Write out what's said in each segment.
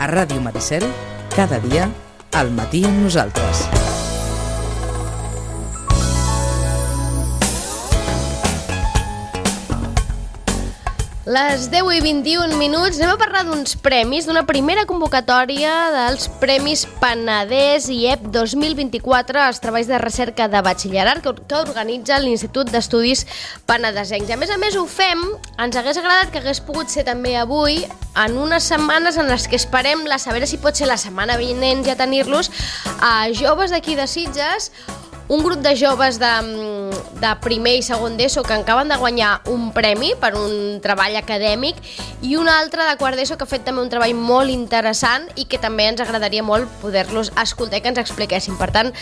A Ràdio Maricel, cada dia, al matí amb nosaltres. Les 10:21, anem a parlar d'uns premis, d'una primera convocatòria dels Premis Penedès IEP 2024 als treballs de recerca de batxillerat que organitza l'Institut d'Estudis Penedesencs. A més ho fem, ens hagués agradat que hagués pogut ser també avui, en unes setmanes en les que esperem a veure si pot ser la setmana vinent ja tenir-los a joves d'aquí de Sitges, un grup de joves de primer i segon d'ESO que acaben de guanyar un premi per un treball acadèmic i un altre de quart d'ESO que ha fet també un treball molt interessant i que també ens agradaria molt poder-los escoltar i que ens expliquessin. Per tant,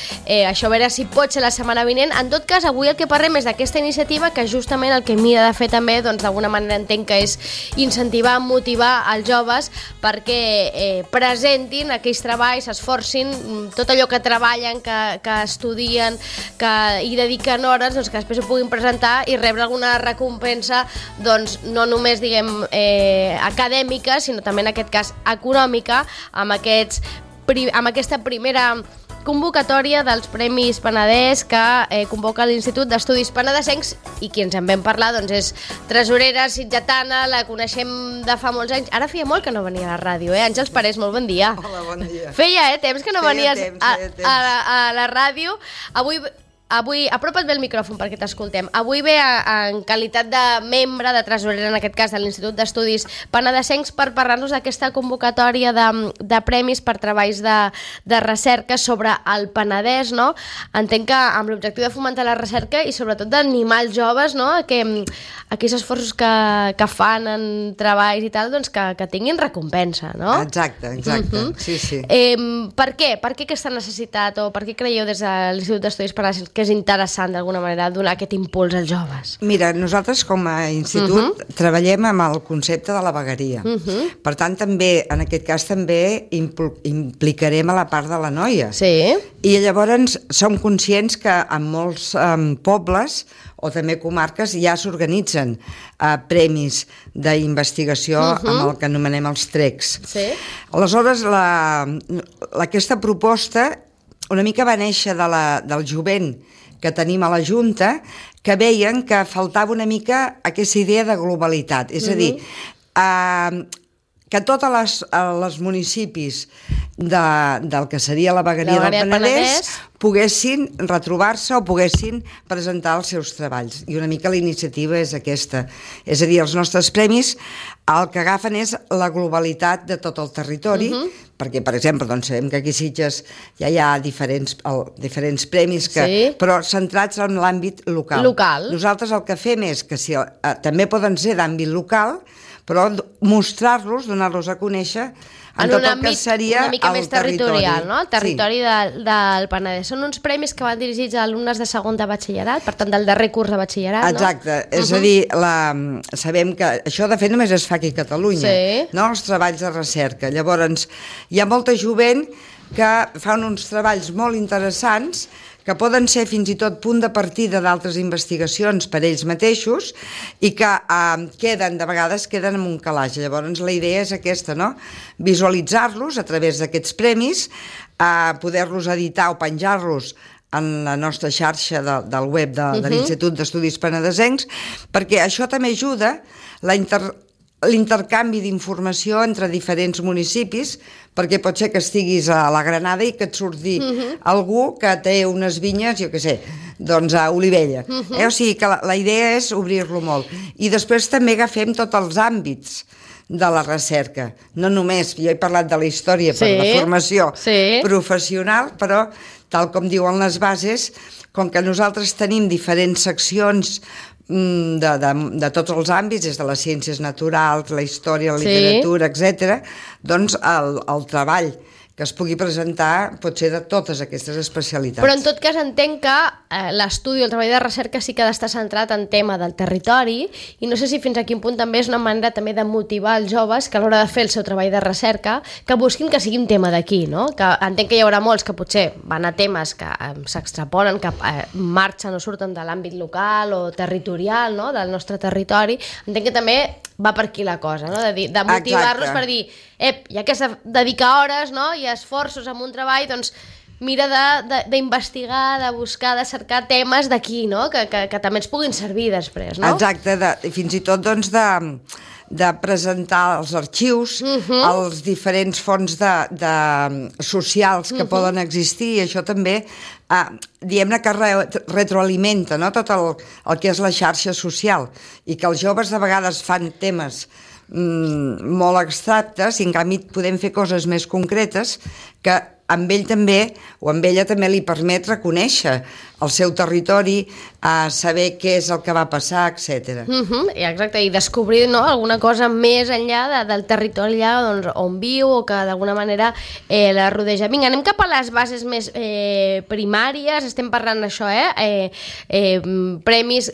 això a veure si pot ser la setmana vinent. En tot cas, avui el que parlem és d'aquesta iniciativa que justament el que mira de fer també, doncs d'alguna manera entenc que és incentivar, motivar els joves perquè presentin aquells treballs, s'esforcin, tot allò que treballen, que estudien, que hi dediquen hores, doncs que després ho puguin presentar i rebre alguna recompensa, doncs no només diguem acadèmica, sinó també en aquest cas econòmica, amb aquesta primera convocatòria dels Premis Penedès que convoca l'Institut d'Estudis Penedesencs i qui ens en vam parlar doncs és tresorera sitgetana, la coneixem de fa molts anys, ara feia molt que no venia a la ràdio, Àngels Parés, molt bon dia. Hola, bon dia. Feia temps que no venies a la ràdio. Avui, apropa't bé el micròfon perquè t'escoltem. Avui ve en qualitat de membre, de tresorera, en aquest cas, de l'Institut d'Estudis Penedesencs per parlar-nos d'aquesta convocatòria de premis per treballs de recerca sobre el Penedès, no? Entenc que amb l'objectiu de fomentar la recerca i sobretot d'animar els joves, no? A que aquells esforços que fan en treballs i tal, doncs que tinguin recompensa, no? Exacte, sí. Per què? Per què aquesta necessitat o per què creieu des de l'Institut d'Estudis Penedesencs que és interessant d'alguna manera donar aquest impuls als joves? Mira, nosaltres com a institut treballem amb el concepte de la vegueria. Per tant, també, en aquest cas, també implicarem a la part de la noia. Sí. I llavors som conscients que en molts pobles o també comarques ja s'organitzen premis d'investigació amb el que anomenem els TRECs. Sí. Aleshores, aquesta proposta una mica va néixer del jovent que tenim a la Junta, que veien que faltava una mica aquesta idea de globalitat. És a dir, que tots els municipis del que seria la vegueria del Penedès poguessin retrobar-se o poguessin presentar els seus treballs. I una mica la iniciativa és aquesta. És a dir, els nostres premis el que agafen és la globalitat de tot el territori, perquè, per exemple, doncs sabem que aquí a Sitges ja hi ha diferents premis, però centrats en l'àmbit local. Nosaltres el que fem és que també poden ser d'àmbit local, però mostrar-los, donar-los a conèixer en tot el que seria una mica més territorial, no? El territori Sí. del Penedès. Són uns premis que van dirigits a alumnes de segon de batxillerat, per tant, del darrer curs de batxillerat, no? Exacte, és a dir, sabem que això de fet només es fa aquí a Catalunya, no? Els treballs de recerca. Llavors, hi ha molta jovent que fan uns treballs molt interessants que poden ser fins i tot punt de partida d'altres investigacions per ells mateixos i que de vegades queden en un calaix. Llavors la idea és aquesta, no? Visualitzar-los a través d'aquests premis, poder-los editar o penjar-los en la nostra xarxa del web de l'Institut d'Estudis Penedesencs, perquè això també ajuda l'intercanvi d'informació entre diferents municipis, perquè pot ser que estiguis a la Granada i que et surti algú que té unes vinyes, jo què sé, doncs a Olivella. O sigui que la idea és obrir-lo molt. I després també agafem tots els àmbits de la recerca. No només, jo he parlat de la història per la formació professional, però tal com diuen les bases, com que nosaltres tenim diferents seccions de tots els àmbits, des de les ciències naturals, la història, la literatura, etc., doncs el treball que es pugui presentar pot ser de totes aquestes especialitats. Però en tot cas entenc que l'estudi, el treball de recerca sí que ha d'estar centrat en tema del territori i no sé si fins a quin punt també és una manera també de motivar els joves que a l'hora de fer el seu treball de recerca que busquin que sigui un tema d'aquí, no? Que entenc que hi haurà molts que potser van a temes que s'extrapolen, que marxen o surten de l'àmbit local o territorial, no? Del nostre territori. Entenc que també va per aquí la cosa, no? De motivar-los per dir ja que s'ha de dedicar hores, no?, i esforços en un treball, doncs mira d'investigar, de buscar, de cercar temes d'aquí, no?, que també ens puguin servir després, no? Exacte, fins i tot doncs de presentar els arxius, els diferents fons socials que poden existir, i això també, diguem-ne que retroalimenta, no?, tot el que és la xarxa social, i que els joves de vegades fan temes molt abstractes i en canvi podem fer coses més concretes que amb ell també, o amb ella també li permet reconèixer el seu territori, saber què és el que va passar, etc. Exacte, i descobrir, no?, alguna cosa més enllà del territori allà, doncs, on viu o que d'alguna manera la rodeja. Vinga, anem cap a les bases més primàries, estem parlant d'això, premis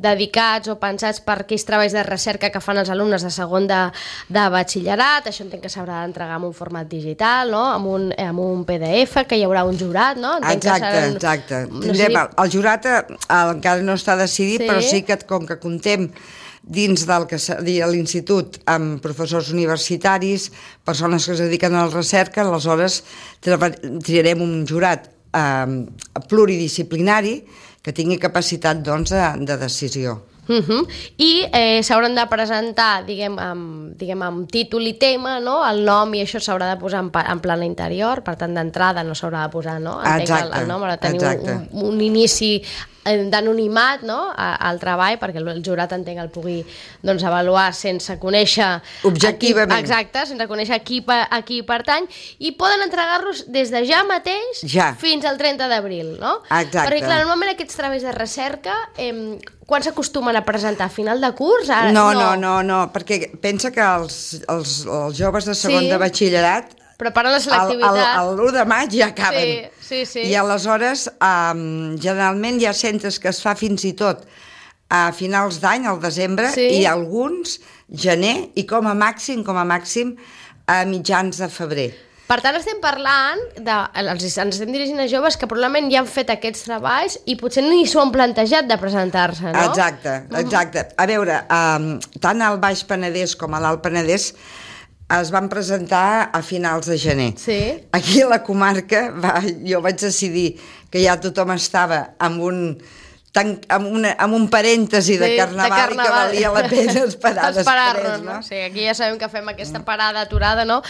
dedicats o pensats per aquells treballs de recerca que fan els alumnes de segon de batxillerat. Això entenc que s'haurà d'entregar en un format digital, no?, amb un PDF, que hi haurà un jurat, no? Exacte. El jurat encara no està decidit, però sí que com que comptem dins del que seria l'institut amb professors universitaris, persones que es dediquen a la recerca, aleshores triarem un jurat pluridisciplinari que tingui capacitat, doncs, de decisió. I s'hauran de presentar, diguem, amb títol i tema, no?, el nom, i això s'haurà de posar en plana interior, per tant d'entrada no s'haurà de posar, no?, el nom, ha de tenir un inici d'anonimat, no?, al treball, perquè el jurat, entenc, el pugui, doncs, avaluar sense conèixer objectivament. Exacte, sense conèixer a qui pertany, i poden entregar-los des de ja mateix fins al 30 d'abril, no? Exacte. Perquè, clar, normalment aquests treballs de recerca, quan s'acostumen a presentar? A final de curs? No, perquè pensa que els joves de segon de batxillerat preparen la selectivitat. L'1 de maig ja acaben. Sí. I aleshores, generalment hi ha centres que es fa fins i tot a finals d'any, al desembre, i alguns gener, i com a màxim a mitjans de febrer. Per tant, estem parlant ens estem dirigint a joves que probablement ja han fet aquests treballs i potser ni s'ho han plantejat de presentar-se, no? Exacte. A veure, tant al Baix Penedès com a l'Alt Penedès es van presentar a finals de gener. Aquí a la comarca jo vaig decidir que ja tothom estava amb un parèntesi de carnaval, i que valia la pena esperar després, no? Sí, aquí ja sabem que fem aquesta parada aturada, no?,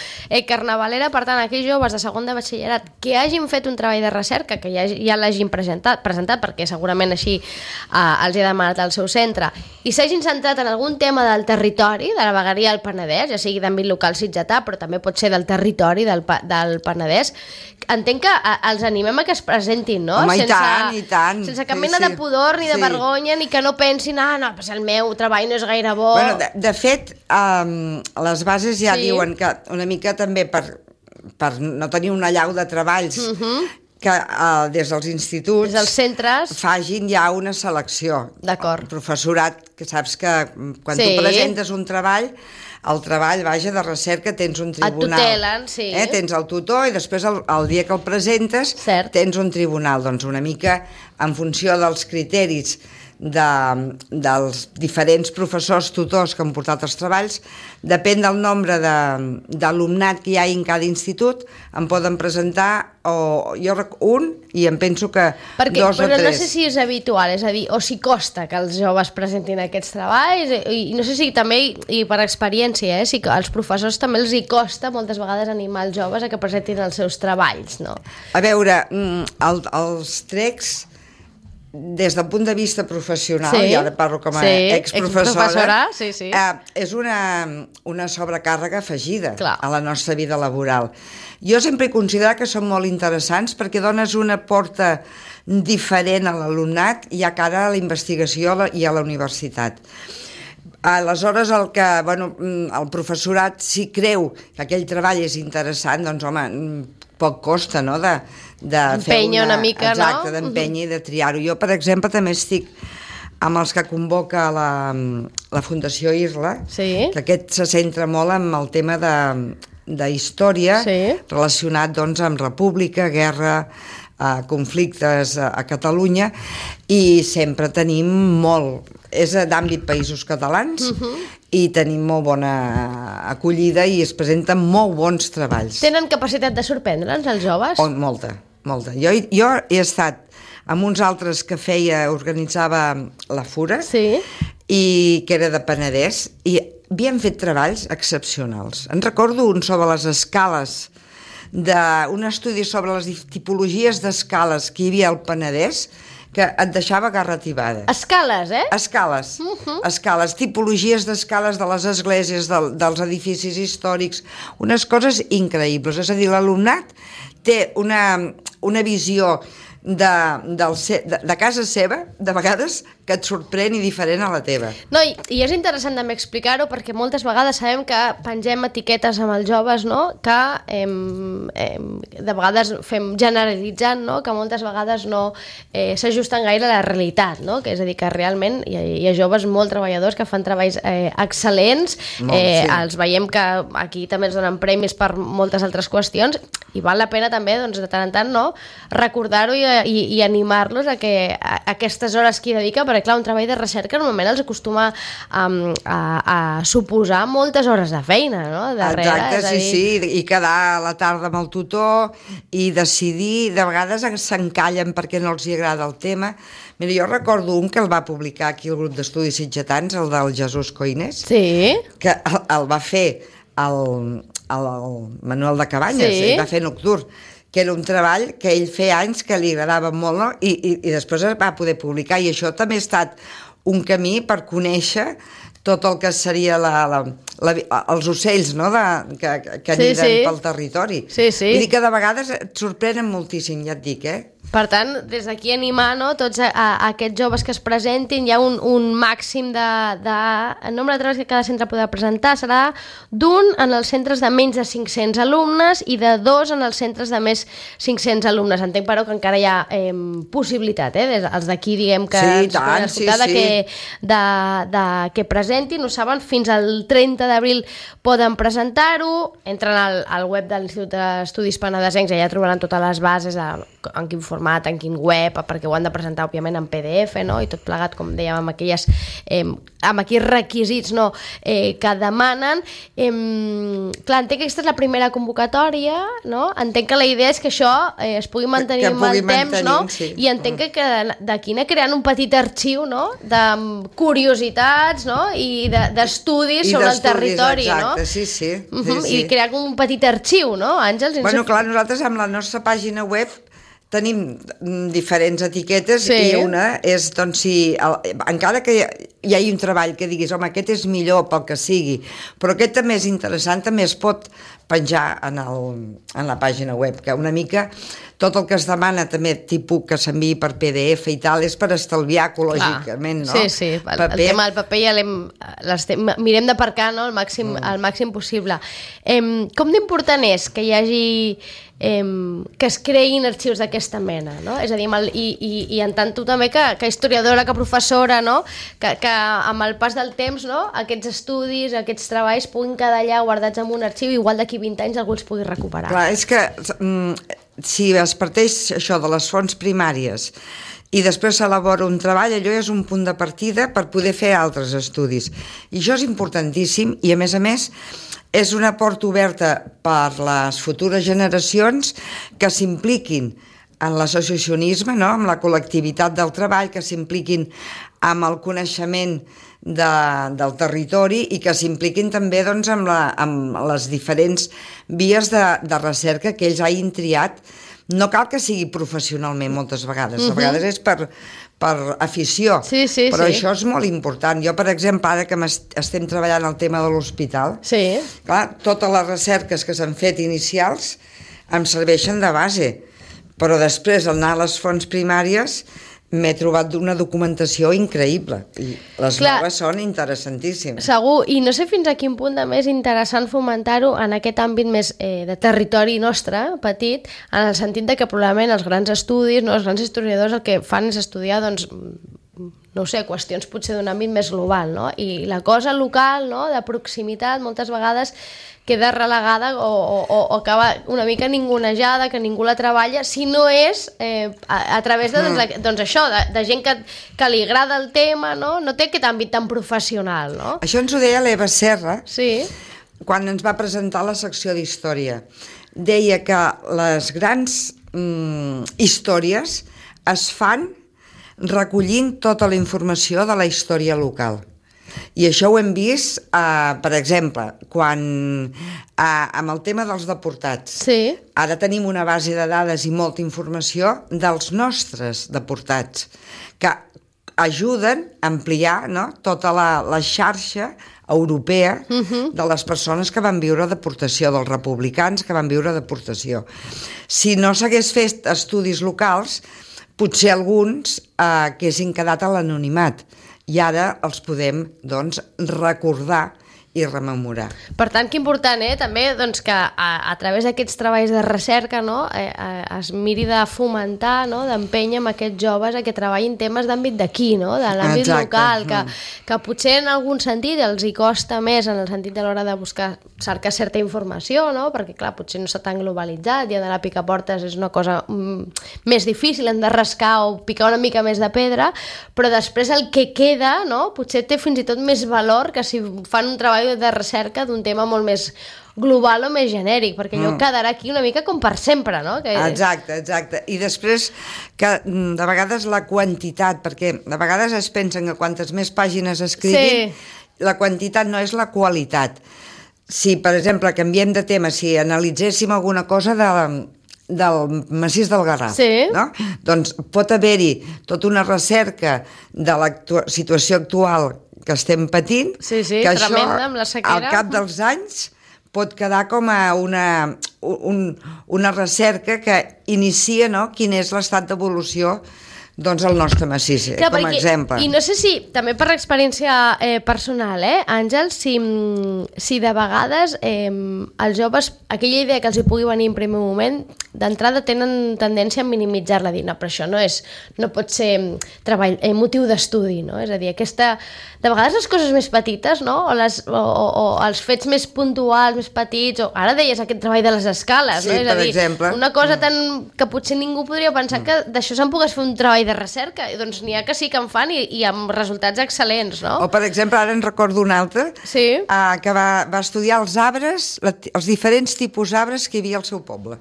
carnavalera. Per tant, aquells joves de segon de batxillerat que hagin fet un treball de recerca, que ja l'hagin presentat, perquè segurament així els hi ha demanat el seu centre, i s'hagin centrat en algun tema del territori, de la vegueria del Penedès, ja sigui d'àmbit local sitgetà, però també pot ser del territori del Penedès, entenc que els animem a que es presentin, no? Home, i tant. Sense cap mena de pudor ni de vergonya, ni que no pensin pues el meu treball no és gaire bo. Bueno, de fet, les bases ja diuen que una mica també per no tenir una allau de treballs que des dels instituts, des dels centres, facin ja una selecció. D'acord. El professorat, que saps que quan tu presentes un treball, el treball, de recerca, tens un tribunal. Et tutelen, Tens el tutor, i després el dia que el presentes tens un tribunal. Doncs una mica en funció dels criteris dels diferents professors tutors que han portat els treballs, depèn del nombre d'alumnat que hi ha en cada institut, em poden presentar un, i em penso que 2 o 3. Però no sé si és habitual, és a dir, o si costa que els joves presentin aquests treballs, i no sé si també, i per experiència, si als professors també els hi costa moltes vegades animar els joves a que presentin els seus treballs, no? A veure, els TRECs, des del punt de vista professional, i ara parlo com a exprofessora, és una sobrecàrrega afegida a la nostra vida laboral. Jo sempre he considerat que són molt interessants perquè dones una porta diferent a l'alumnat i a cara a la investigació i a la universitat. Aleshores, el professorat, si creu que aquell treball és interessant, doncs, home, poc costa, no?, d'empènyer una mica, no? Exacte, d'empènyer i de triar-ho. Jo, per exemple, també estic amb els que convoca la Fundació IRLA, que aquest se centra molt en el tema d'història relacionat, doncs, amb república, guerra, conflictes a Catalunya, i sempre tenim molt, és d'àmbit Països Catalans, i tenim molt bona acollida i es presenten molt bons treballs. Tenen capacitat de sorprendre'ns, els joves? Molta. Jo he estat amb uns altres que organitzava la Fura, sí, i que era de Penedès, i havien fet treballs excepcionals. En recordo un sobre les escales, un estudi sobre les tipologies d'escales que hi havia al Penedès, que et deixava garratibada. Escales, eh? Escales. Escales, tipologies d'escales de les esglésies, dels edificis històrics, unes coses increïbles. És a dir, l'alumnat té una visió de casa seva, de vegades, que et sorprèn i diferent a la teva. No, i és interessant també explicar-ho, perquè moltes vegades sabem que pengem etiquetes amb els joves, no?, que de vegades fem generalitzant, no?, que moltes vegades no s'ajusten gaire a la realitat, no?, que és a dir, que realment hi ha joves molt treballadors que fan treballs excel·lents, els veiem que aquí també ens donen premis per moltes altres qüestions, i val la pena també, doncs, de tant en tant, no?, recordar-ho i animar-los a aquestes hores que hi dedica, perquè clar, un treball de recerca normalment els acostuma a suposar moltes hores de feina, no?, darrere. Exacte, sí, i quedar a la tarda amb el tutor i decidir, de vegades s'encallen perquè no els hi agrada el tema. Mira, jo recordo un que el va publicar aquí el grup d'estudis sitgetans, el del Jesús Coinés, sí, que el va fer el Manuel de Cabanyes, sí, i va fer Nocturn, que era un treball que ell feia anys que li agradava molt, no? I després es va poder publicar, i això també ha estat un camí per conèixer tot el que seria els ocells, no?, que aniden pel territori. Vull dir que de vegades et sorprenen moltíssim, ja et dic, Per tant, des d'aquí animar, no, tots aquests joves que es presentin, hi ha un màxim de nombre de treballs que cada centre podrà presentar, serà d'un en els centres de menys de 500 alumnes i de 2 en els centres de més 500 alumnes. Entenc, però, que encara hi ha possibilitat, els d'aquí, diguem, que ens poden escoltar, que presentin, ho saben, fins al 30 d'abril poden presentar-ho, entren al web de l'Institut d'Estudis Penedesencs, allà trobaran totes les bases, en quin format, en quin web, perquè ho han de presentar, òbviament, en PDF, no?, i tot plegat, com dèiem, amb aquells requisits, no?, que demanen. Clar, entenc que aquesta és la primera convocatòria, no?, entenc que la idea és que això es pugui mantenir amb el temps, no?, i entenc que d'aquí anar creant un petit arxiu, no?, de curiositats, no?, i d'estudis sobre el territori, no? Exacte, sí. I crear un petit arxiu, no, Àngels? Bueno, clar, nosaltres amb la nostra pàgina web tenim diferents etiquetes, i una és, doncs, encara que hi hagi un treball que diguis, home, aquest és millor pel que sigui, però aquest també és interessant, també es pot penjar en la pàgina web, que una mica tot el que es demana també, tipus que s'enviï per PDF i tal, és per estalviar ecològicament, no? Sí, el tema del paper ja mirem d'aparcar, no?, al màxim possible. Com d'important és que hi hagi que es creïn arxius d'aquesta mena, no? És a dir, i en tant tu també que historiadora, que professora, no?, que amb el pas del temps, no?, aquests estudis, aquests treballs puguin quedar allà guardats en un arxiu, igual d'aquí 20 anys algú els pugui recuperar. Clar, és que si es parteix això de les fonts primàries i després s'elabora un treball, allò és un punt de partida per poder fer altres estudis. I això és importantíssim, i a més és una porta oberta per les futures generacions que s'impliquin en l'associacionisme, no?, amb la col·lectivitat del treball, que s'impliquin amb el coneixement del territori i que s'impliquin també, doncs, amb les diferents vies de recerca que ells hagin triat. No cal que sigui professionalment moltes vegades, a vegades és per afició, però això és molt important. Jo, per exemple, ara que estem treballant el tema de l'hospital, clar, totes les recerques que s'han fet inicials em serveixen de base, però després, al anar a les fonts primàries, m'he trobat una documentació increïble i les noves són interessantíssimes. Segur, i no sé fins a quin punt també és interessant fomentar-ho en aquest àmbit més de territori nostre, petit, en el sentit de que probablement els grans estudis, no, els grans historiadors el que fan és estudiar, doncs, no ho sé, qüestions potser d'un àmbit més global, no? I la cosa local, no?, de proximitat, moltes vegades queda relegada o acaba una mica ningunejada, que ningú la treballa, si no és a través de, doncs això, de gent que li agrada el tema, no? No té aquest àmbit tan professional, no? Això ens ho deia l'Eva Serra, sí, quan ens va presentar la secció d'història. Deia que les grans històries es fan recollint tota la informació de la història local. I això ho hem vist, per exemple, quan amb el tema dels deportats. sí, Ara tenim una base de dades i molta informació dels nostres deportats, que ajuden a ampliar, no?, tota la xarxa europea de les persones que van viure deportació, dels republicans que van viure deportació. Si no s'hagués fet estudis locals, potser alguns haguessin quedat a l'anonimat, i ara els podem, doncs, recordar i rememorar. Per tant, que important, també, doncs, que a través d'aquests treballs de recerca, no, es miri de fomentar, no, d'empènyer amb aquests joves a que treballin temes d'àmbit d'aquí, no, de l'àmbit local, que potser en algun sentit els hi costa més en el sentit de l'hora de cercar certa informació, no, perquè clar, potser no està tan globalitzat i anar a picaportes és una cosa més difícil, hem de rascar o picar una mica més de pedra, però després el que queda, no, potser té fins i tot més valor que si fan un treball de recerca d'un tema molt més global o més genèric, perquè allò quedarà aquí una mica com per sempre, no? Exacte. I després que de vegades la quantitat, perquè de vegades es pensen que quantes més pàgines escriguin, la quantitat no és la qualitat. Si, per exemple, canviem de tema, si analitzéssim alguna cosa del massís del Garraf, no? Doncs pot haver-hi tota una recerca de la situació actual que estem patint, que això al cap dels anys pot quedar com a una recerca que inicia, no?, quin és l'estat d'evolució, doncs, el nostre massís, com a exemple. I no sé si, també per experiència personal, Àngel, si de vegades els joves, aquella idea que els hi pugui venir en primer moment, d'entrada tenen tendència a minimitzar-la, dir, no, però això no pot ser motiu d'estudi, no? És a dir, de vegades les coses més petites, no?, o els fets més puntuals, més petits, o ara deies aquest treball de les escales, no? És a dir, exemple, una cosa que potser ningú podria pensar que d'això se'n pogués fer un treball de recerca, doncs n'hi ha que sí que en fan i amb resultats excel·lents, no? O, per exemple, ara en recordo un altre, que va estudiar els arbres, els diferents tipus d'arbres que hi havia al seu poble.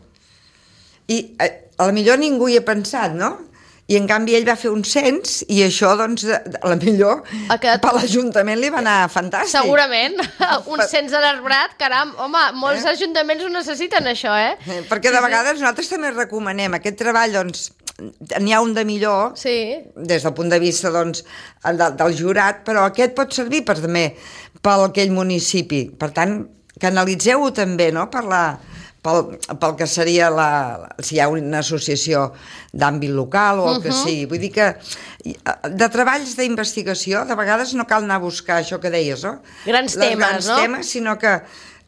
I a la millor ningú hi ha pensat, no? I en canvi ell va fer un cens i això, doncs, a la millor per l'Ajuntament li va anar fantàstic. Segurament, un cens de l'arbrat, caram, home, molts ajuntaments ho necessiten això, Perquè de vegades nosaltres també recomanem aquest treball, doncs, n'hi ha un de millor, des del punt de vista, doncs, del jurat, però aquest pot servir també per aquell municipi. Per tant, que analitzeu-ho també, no?, pel que seria si hi ha una associació d'àmbit local o el que sigui. Vull dir que de treballs d'investigació de vegades no cal anar a buscar això que deies, no? Grans temes, sinó que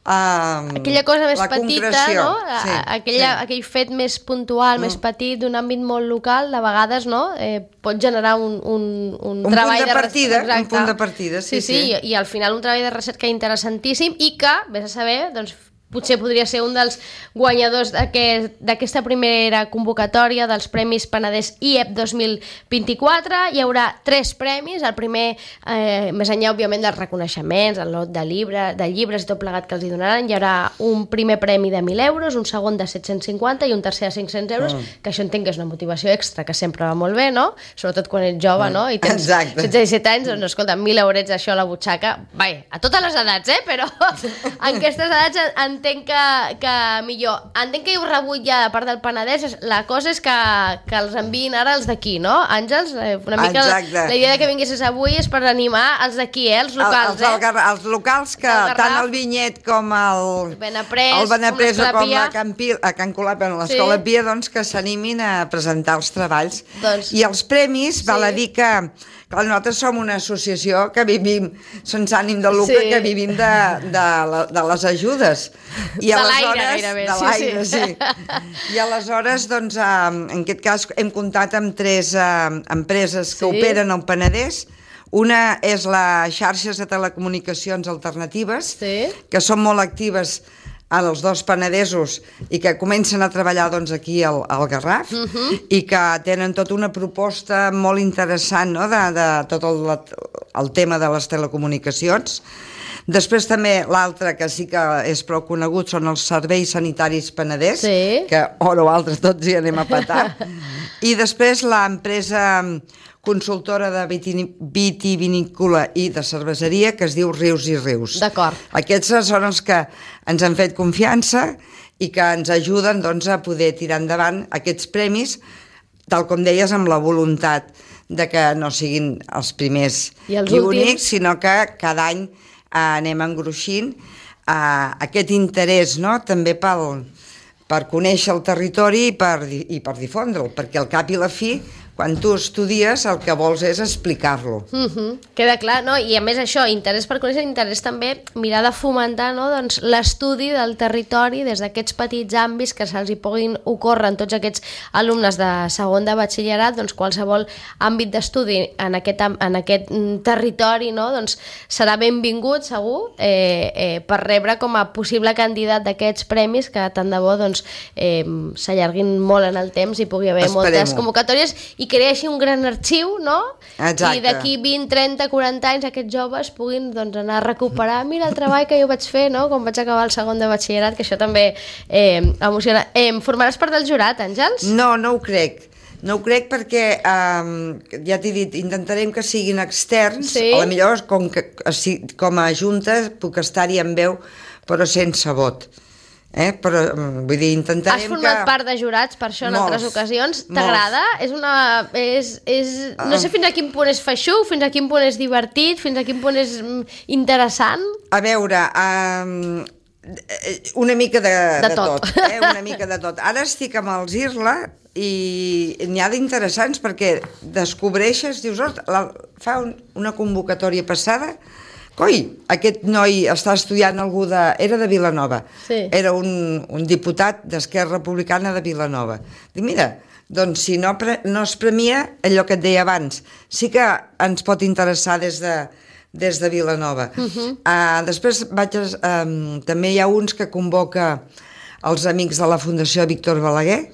aquella cosa més petita, no? Aquell fet més puntual, més petit, d'un àmbit molt local, de vegades, no?, pot generar un treball de partida, un punt de partida, sí. I al final un treball de recerca interessantíssim i que, vés a saber, doncs, potser podria ser un dels guanyadors d'aquesta primera convocatòria dels Premis Penedès IEP 2024. Hi haurà 3 premis. El primer, més enllà, òbviament, dels reconeixements, el lot de llibres i tot plegat que els hi donaran, hi haurà un primer premi de 1.000 euros, un segon de 750 i un tercer de 500 euros, que això entenc que és una motivació extra, que sempre va molt bé, no? Sobretot quan ets jove, no? I tens 16 i 17 anys, doncs, escolta, 1.000 eurets, això a la butxaca, a totes les edats, però en aquestes edats entenc que millor. Entenc que heu rebut ja de part del Penedès. La cosa és que els enviïn ara els d'aquí, no, Àngels? Una mica la idea que vinguessis avui és per animar els d'aquí, els locals. Els locals que tant el Vinyet com el Benaprés o com a Can Colap, l'Escola Pia, doncs que s'animin a presentar els treballs. I els premis, val a dir que Clar, nosaltres som una associació que vivim sense ànim de lucre, que vivim de les ajudes. I de l'aire, gairebé. De l'aire, sí. I aleshores, doncs, en aquest cas, hem comptat amb 3 empreses que operen al Penedès. Una és la xarxes de telecomunicacions alternatives, que són molt actives als 2 penedesos i que comencen a treballar doncs, aquí al Garraf i que tenen tota una proposta molt interessant, no?, de tot el tema de les telecomunicacions. Després també l'altre, que sí que és prou conegut, són els serveis sanitaris Penedès, que hora o altre tots hi anem a petar. I després l'empresa consultora de vitivinícola i de cerveseria que es diu Rius i Rius. D'acord. Aquests són els que ens han fet confiança i que ens ajuden doncs, a poder tirar endavant aquests premis, tal com deies, amb la voluntat de que no siguin els primers i únics, sinó que cada any anem engruixint aquest interès, no?, també per conèixer el territori i per difondre'l, perquè al cap i la fi, quan tu estudies, el que vols és explicar-lo. Queda clar, no? I a més això, interès per conèixer, interès també mirar de fomentar, no?, doncs, l'estudi del territori des d'aquests petits àmbits que se'ls hi puguin ocórrer en tots aquests alumnes de segon de batxillerat, doncs qualsevol àmbit d'estudi en aquest territori, no?, doncs serà benvingut, segur, per rebre com a possible candidat d'aquests premis que tant de bo doncs, s'allarguin molt en el temps i pugui haver moltes convocatòries i creeixi un gran arxiu, no? Exacte. I d'aquí 20, 30, 40 anys aquests joves puguin doncs, anar a recuperar mira el treball que jo vaig fer, no?, quan vaig acabar el segon de batxillerat, que això també emociona. Formaràs part del jurat, Àngels? No, no ho crec. No ho crec perquè, ja t'he dit, intentarem que siguin externs, a la millor com a junta puc estar-hi amb veu, però sense vot. Però, vull dir, intentarem que... Has format part de jurats per això en altres ocasions. T'agrada? No sé fins a quin punt és feixuc, fins a quin punt és divertit, fins a quin punt és interessant. A veure, una mica de tot. Una mica de tot. Ara estic amb els IRLA i n'hi ha d'interessants perquè descobreixes, dius, fa una convocatòria passada. Coi, aquest noi està estudiant era de Vilanova, era un diputat d'Esquerra Republicana de Vilanova. Dic, mira, doncs si no es premia allò que et deia abans, sí que ens pot interessar des de Vilanova. Després també hi ha uns que convoca els amics de la Fundació Víctor Balaguer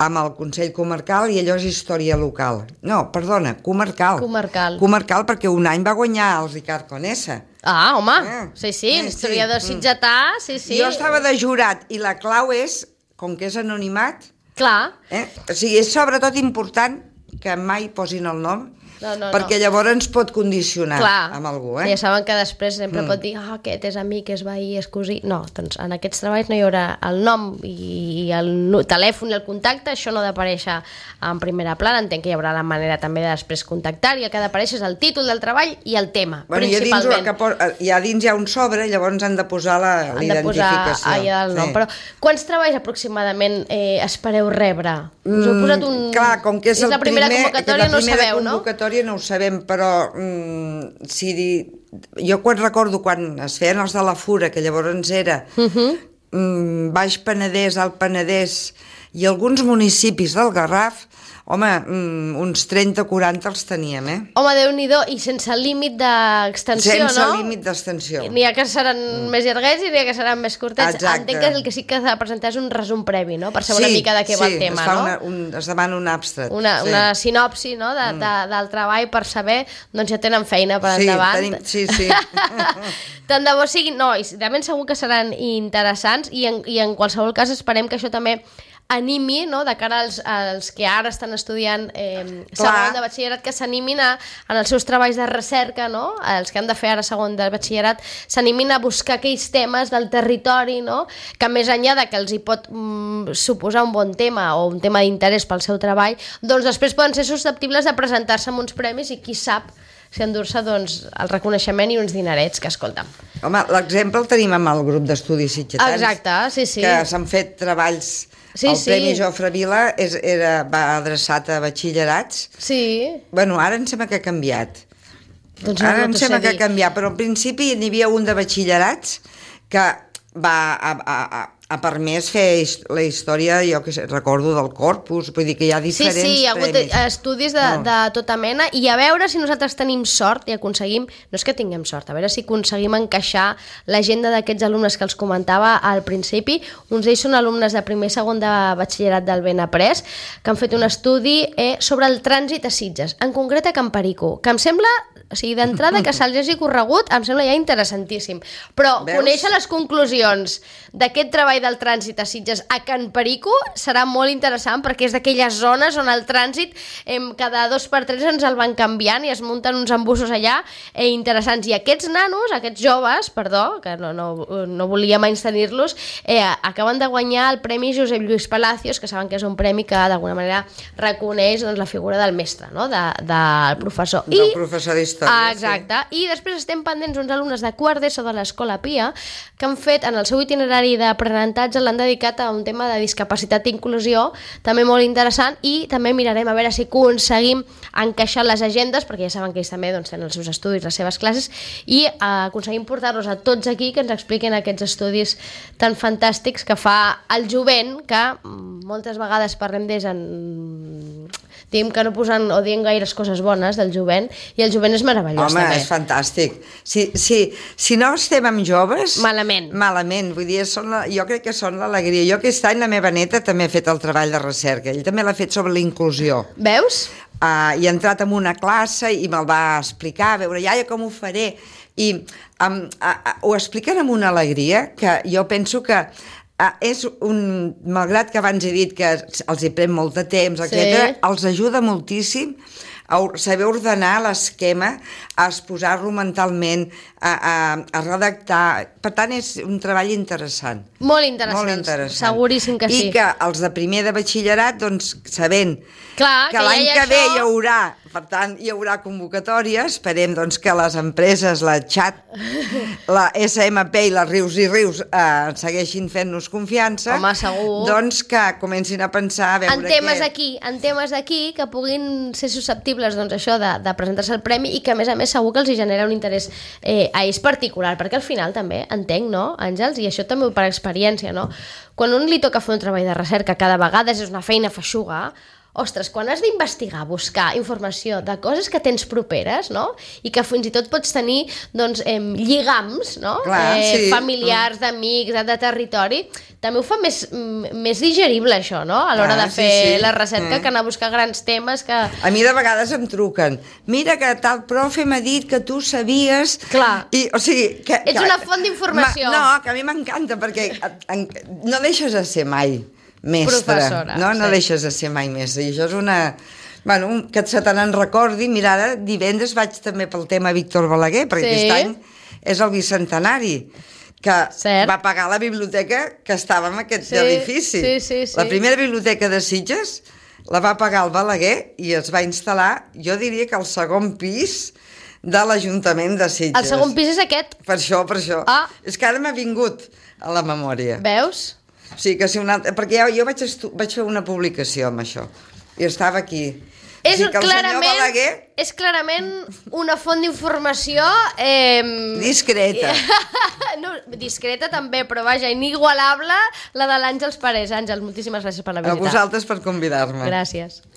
amb el Consell Comarcal i allò és història local. No, perdona, comarcal. Comarcal perquè un any va guanyar el Ricard Conesa. Ah, home, sí, historiador sitgetà, sí. Jo estava de jurat i la clau és, com que és anonimat, clar. O sigui, és sobretot important que mai posin el nom, perquè llavors ens pot condicionar amb algú. Ja saben que després sempre pot dir aquest és amic, és veí, és cosí. No, doncs en aquests treballs no hi haurà el nom i el telèfon i el contacte, això no ha d'aparèixer en primera plana. Entenc que hi haurà la manera també de després contactar i el que ha d'aparèixer és el títol del treball i el tema, principalment. Ja dins hi ha un sobre, llavors han de posar l'identificació. Allà el nom. Però quants treballs aproximadament espereu rebre? Us heu posat un... Clar, com que és la primera convocatòria, no ho sabeu, no? No ho sabem, però jo quan recordo quan es feien els de la Fura, que llavors era Baix Penedès, Alt Penedès i alguns municipis del Garraf, home, uns 30 o 40 els teníem, Home, Déu-n'hi-do, i sense límit d'extensió, no? Sense límit d'extensió. N'hi ha que seran més llarguets i n'hi ha que seran més curtets. Exacte. Entenc que el que sí que s'ha de presentar és un resum previ, no? Per saber una mica de què va el tema, no? Es demana un abstrat. Una sinopsi, no?, del treball per saber, doncs ja tenen feina per endavant. Sí. Tant de bo siguin... No, i realment segur que seran interessants i en qualsevol cas esperem que això també animi, no?, de cara als que ara estan estudiant segon de batxillerat, que s'animin en els seus treballs de recerca, no?, els que han de fer ara segon de batxillerat, s'animin a buscar aquells temes del territori, no?, que més enllà de que els hi pot suposar un bon tema o un tema d'interès pel seu treball, doncs després poden ser susceptibles de presentar-se amb uns premis i qui sap si endur-se doncs, el reconeixement i uns dinerets, que escolta'm. Home, l'exemple el tenim amb el grup d'estudis sitgetans. Exacte, sí. Que s'han fet treballs Sí, el sí. Premi Jofre Vila va adreçat a batxillerats. Sí. Bueno, ara em sembla que ha canviat. Doncs Ara no em t'ho sembla sé que dir. ha canviat, però al principi n'hi havia un de batxillerats que ha permès fer la història, jo que sé, recordo del Corpus, vull dir que hi ha diferents Sí, hi ha hagut premis. estudis de tota mena, i a veure si nosaltres tenim sort i aconseguim, no és que tinguem sort, a veure si aconseguim encaixar l'agenda d'aquests alumnes que els comentava al principi. Uns d'ells són alumnes de primer i segon de batxillerat del Benaprés, que han fet un estudi sobre el trànsit a Sitges, en concret a Can Perico, que em sembla, o sigui, d'entrada que se'ls hagi corregut, em sembla ja interessantíssim. Però Veus? conèixer les conclusions d'aquest treball del trànsit a Sitges a Can Perico serà molt interessant, perquè és d'aquelles zones on el trànsit cada 2 per 3 ens el van canviant i es munten uns embussos allà interessants. I aquests nanos, aquests joves, perdó, que no volia menystenir-los, acaben de guanyar el Premi Josep Lluís Palacios, que saben que és un premi que d'alguna manera reconeix la figura del mestre, no? del professor. Del professor d'història. Exacte. I després estem pendents uns alumnes de quart d'ESO de l'Escola Pia que han fet, en el seu itinerari d'aprenentatge, l'han dedicat a un tema de discapacitat i inclusió, també molt interessant, i també mirarem a veure si aconseguim encaixar les agendes, perquè ja saben que ells també tenen els seus estudis, les seves classes, i aconseguim portar-los a tots aquí que ens expliquin aquests estudis tan fantàstics que fa el jovent, que moltes vegades parlem d'ells diguem que no posen o dient gaires coses bones del jovent, i el jovent és meravellós. Home, també. és fantàstic. Si no estem amb joves... Malament. Vull dir, jo crec que són l'alegria. Jo aquest any la meva neta també ha fet el treball de recerca. Ell també l'ha fet sobre la inclusió. Veus? I ha entrat en una classe i me'l va explicar, a veure, iaia, com ho faré? I ho expliquen amb una alegria que jo penso que malgrat que abans he dit que els hi pren molt de temps, etc., els ajuda moltíssim a saber ordenar l'esquema, a exposar-lo mentalment, a redactar. Per tant, és un treball interessant. Molt interessant. Seguríssim que sí. I que els de primer de batxillerat, doncs, sabent que l'any que ve hi haurà, per tant, hi haurà convocatòria, esperem doncs, que les empreses, la Xat, la SMP i la Rius i Rius segueixin fent-nos confiança. Home, segur. Doncs que comencin a pensar a veure en temes d'aquí que puguin ser susceptibles d'això, de presentar-se al premi, i que a més segur que els hi genera un interès a ells particular, perquè al final també entenc, no, Àngels, i això també per experiència, no? Quan un li toca fer un treball de recerca cada vegada és una feina feixuga. Ostres, quan has d'investigar, buscar informació de coses que tens properes, no? I que fins i tot pots tenir, doncs, lligams, no? Clar, sí. Familiars, d'amics, de territori, també ho fa més digerible, això, no? A l'hora de fer la recerca, que anar a buscar grans temes que... A mi de vegades em truquen. Mira que tal profe m'ha dit que tu sabies... Clar. O sigui... Ets una font d'informació. No, que a mi m'encanta, perquè no deixes de ser mai mestre. Professora. No deixes de ser mai mestre. I això és una... Bueno, que se te n'en recordi. Mira, ara divendres vaig també pel tema Víctor Balaguer, perquè aquest any és el bicentenari, que va pagar la biblioteca que estava en aquest edifici. Sí. La primera biblioteca de Sitges la va pagar el Balaguer i es va instal·lar, jo diria que al segon pis de l'Ajuntament de Sitges. El segon pis és aquest? Per això. Ah. És que ara m'ha vingut a la memòria. Veus? O sigui que si perquè jo vaig fer una publicació amb això i estava aquí. És clarament una font d'informació... discreta. No, discreta també, però vaja, inigualable, la de l'Àngels Parés. Àngels, moltíssimes gràcies per la visita. A vosaltres per convidar-me. Gràcies.